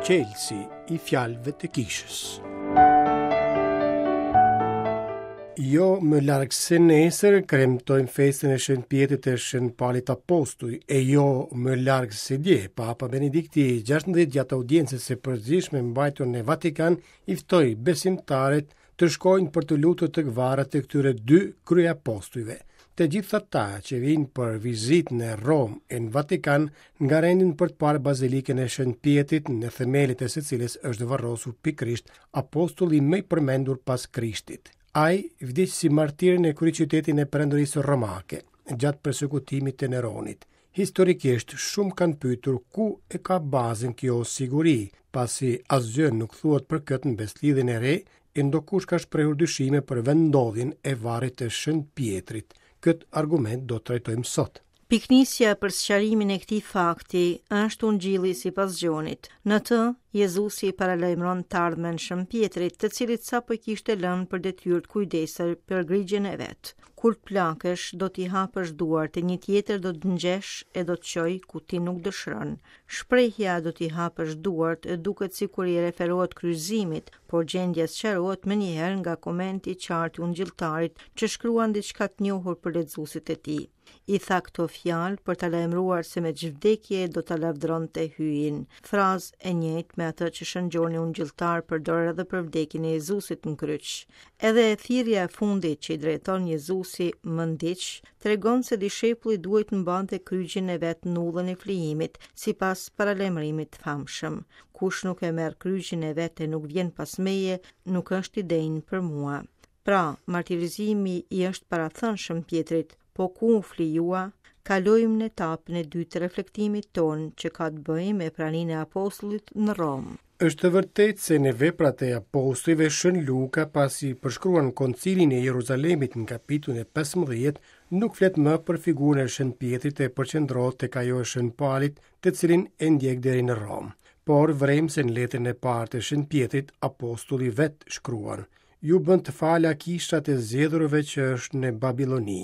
Çelësi i fjalëve të kishës. Jo më larg se nesër kremtojmë festën e Shën Pjetrit e Shën Palit Apostuj, e jo më larg se dje, Papa Benedikti XVI gjatë audiencës së përgjithshme mbajtur në Vatikan i ftoi besimtarët të shkojnë për t'u lutur tek varret e këtyre dy kryeapostujve. Të gjithë ata që vijnë për vizitë në Romë e në Vatikan ngarendin për të parë Bazilikën e Shën Pjetrit në themelet e së cilës është varrosur pikërisht apostulli më i përmendur pas Krishtit. Ai vdiq si martir në kryeqytetin e Perandorisë Romake gjatë persekutimit të Neronit. Historikisht shumë kanë pyetur ku e ka bazën kjo siguri, pasi asgjë nuk thuhet për këtë në Besëlidhjen e Re, e ndokush ka shprehur dyshime për vendndodhjen e varrit të Shën Pjetrit. Këtë argument do të trajtojmë sot. Pikënisja për sqarimin e këtij fakti është Ungjilli sipas Gjonit. Në të, Jezusi i paralajmëron të ardhmen Shën Pjetrit, të cilit sapo i kishte lënë për detyrë të kujdesej për grigjën e vet. Kur të plakesh, do t'i hapësh duart e një tjetër do të ngjeshë e do të çojë ku ti nuk dëshiron. Shprehja do t'i hapësh duart duket sikur i referohet kryqëzimit, por gjendja sqarohet menjëherë nga komenti i qartë i ungjilltarit që shkruan diçka të njohur për lexuesit e tij. I tha këto fjalë për ta lajmëruar se me ç'vdekje do ta lavdëronte Hyjin. Frazë e njëjtë me atë që Shën Gjoni Ungjilltar përdor edhe për vdekjen e Jezusit në kryq. Edhe thirrja e fundit që i drejton Jezusi më ndiq, tregon se dishepulli duhej të mbante kryqin e vet në udhën e flijimit, sipas paralajmërimit të famshëm. Kush nuk e merr kryqin e vet e nuk vjen pas meje, nuk është i denjë për mua. Pra, martirizimi i është parathënë Shën Pjetrit, po ku u flijua? Kalojmë në etapën e dytë të reflektimit tonë që ka të bëjë me praninë e apostullit në Romë. Është e vërtetë se në veprat e apostujve Shën Luka pasi përshkruan koncilin e Jeruzalemit në kapitullin e 15, nuk flet më për figurën e Shën Pjetrit e përqendrohet tek ajo e Shën Palit, të cilin e ndjek deri në Romë. Por vërejmë se në letrën e parë të Shën Pjetrit apostulli vetë shkruan: Ju bëntë fala kisha e të zgjedhurve që është në Babiloni.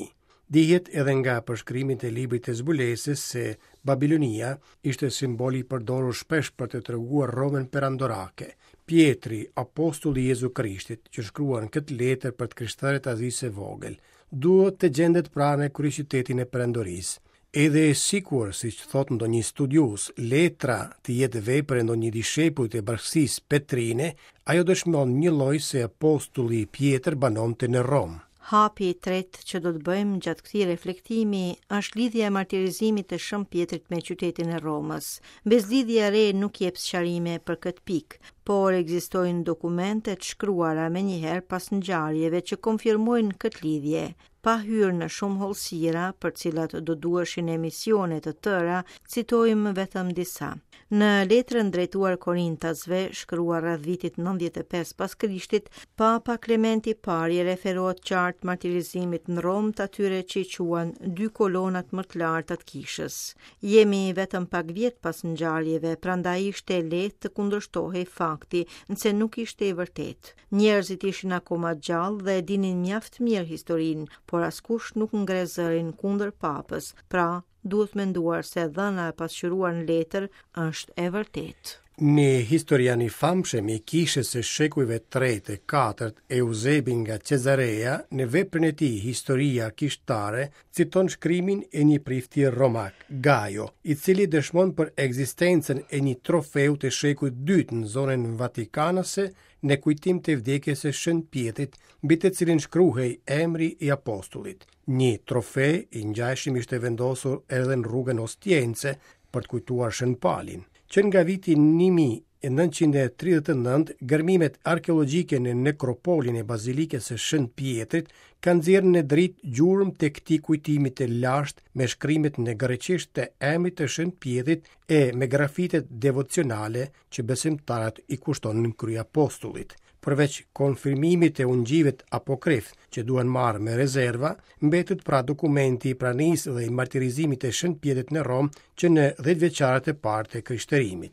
Dihet edhe nga përshkrimet e librit të zbulesës se Babilonia ishte simbol i përdorur shpesh për të treguar Romën perandorake. Pjetri, apostulli i Jezu Krishtit, që shkruan këtë letër për të krishterët e Azisë së Vogël, duhet të gjendet pra në kryeqytetin e perandorisë. Edhe sikur, siç thotë ndonjë studiues, letra të jetë vepër e ndonjë dishepulli të bashkësisë petrine, ajo dëshmon njëlloj se apostulli Pjetër banonte në Romë. Hapi i tretë që do të bëjmë gjatë këtij reflektimi është lidhja e martirizimit të Shën Pjetrit me qytetin e Romës. Besëlidhja e re nuk jep sqarime për këtë pikë, por ekzistojnë dokumente të shkruara menjëherë pas ngjarjeve që konfirmojnë këtë lidhje. Pa hyrë në shumë hollësira, për të cilat do duheshin emisione të tëra, citojmë vetëm disa. Në letrën drejtuar Korintasve, shkruar rreth vitit 95 pas Krishtit, Papa Klementi i Parë i referohet qartë martirizimit në Romë të atyre që i quan dy kolonat më të larta të kishës. Jemi vetëm pak vjet pas ngjarjeve, prandaj ishte e lehtë të kundërshtohej fakti nëse nuk ishte i vërtetë. Njerëzit ishin akoma gjallë dhe e dinin mjaft mirë historinë, por askush nuk ngre zërin kundër papës. Pra, duhet menduar se e dhëna e pasqyruar në letër është e vërtetë. Një historian i famshëm i kishës së shekujve tretë e katërt, Euzebi nga Cezarea, në veprën e tij Historia Kishtare, citon shkrimin e një prifti romak, Gajo, i cili dëshmon për ekzistencën e një trofeu të shekullit dytë në zonën vatikanase në kujtim të vdekjes së Shën Pjetrit, mbi të cilin shkruhej emri i apostullit. Një trofe i ngjashëm ishte vendosur edhe në rrugën Ostiense për të kujtuar Shën Palin. Që nga viti 1939, gërmimet arkeologjike në nekropolin e Bazilikës së Shën Pjetrit kanë nxjerrë në dritë gjurmë të këtij kujtimi të lashtë me shkrimet në greqisht të emrit të Shën Pjetrit e me grafitet devocionale që besimtarët i kushtonin kryeapostullit. Përveç konfirmimit të ungjijve apokrif, që duhen marrë me rezerva, mbetet pra dokumenti i pranisë dhe i martirizimit të Shën Pjetrit në Romë që në dhjetëvjeçarët e parë të krishterimit.